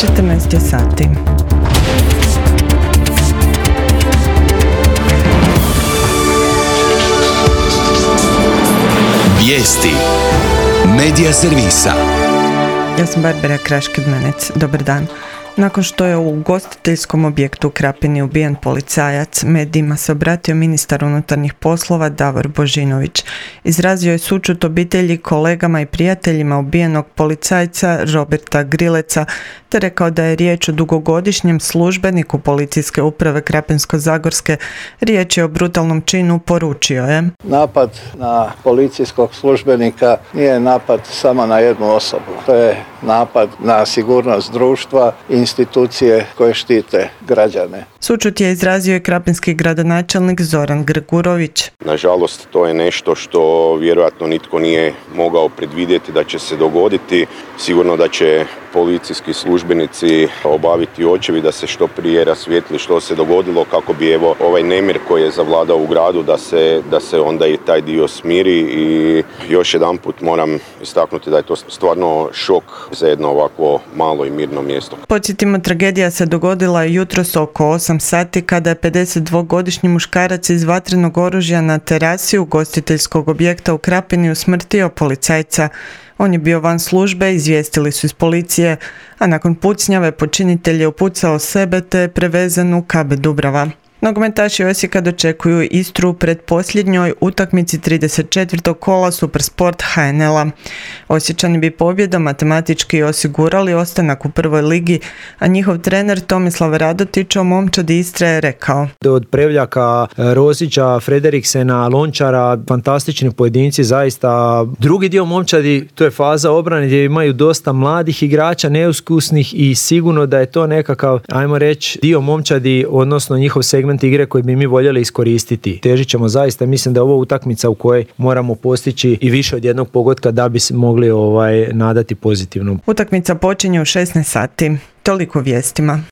14 je sati. Vijesti Medija servisa. Ja sam Barbara Kraš-Kidmanec. Dobar dan. Nakon što je u ugostiteljskom objektu u Krapini ubijen policajac, medijima se obratio ministar unutarnjih poslova Davor Božinović. Izrazio je sućut obitelji, kolegama i prijateljima ubijenog policajca Roberta Grileca, te rekao da je riječ o dugogodišnjem službeniku policijske uprave Krapinsko-zagorske. Riječ je o brutalnom činu, poručio je. Napad na policijskog službenika nije napad samo na jednu osobu. To je napad na sigurnost društva i institucije koje štite građane. Sućut je izrazio i krapinski gradonačelnik Zoran Gregurović. Nažalost, to je nešto što vjerojatno nitko nije mogao predvidjeti da će se dogoditi. Sigurno da će policijski službenici obaviti očevid da se što prije rasvijetli što se dogodilo kako bi ovaj nemir koji je zavladao u gradu da se onda i taj dio smiri. I još jedanput moram istaknuti da je to stvarno šok za jedno ovako malo i mirno mjesto. Podsjetimo, tragedija se dogodila jutros oko 8 sati kada je 52-godišnji muškarac iz vatrenog oružja na terasi ugostiteljskog objekta u Krapini usmrtio policajca. On je bio van službe, izvijestili su iz policije, a nakon pucnjave počinitelj je upucao sebe te je prevezen u KB Dubrava. Nogometaši Osijeka dočekuju Istru pred posljednjoj utakmici 34. kola Supersport HNL-a. Osječani bi pobjedom matematički osigurali ostanak u prvoj ligi, a njihov trener Tomislav Radotić o momčadi Istre je rekao: Od Prevljaka, Rosića, Frederiksena, Lončara, fantastični pojedinci zaista. Drugi dio momčadi, to je faza obrane gdje imaju dosta mladih igrača, neiskusnih i sigurno da je to nekakav, ajmo reći, dio momčadi, odnosno njihov segment igre koji bi mi voljeli iskoristiti. Težit ćemo zaista, mislim da je ovo utakmica u kojoj moramo postići i više od jednog pogotka da bi se mogli nadati pozitivno. Utakmica počinje u 16 sati. Toliko vijestima.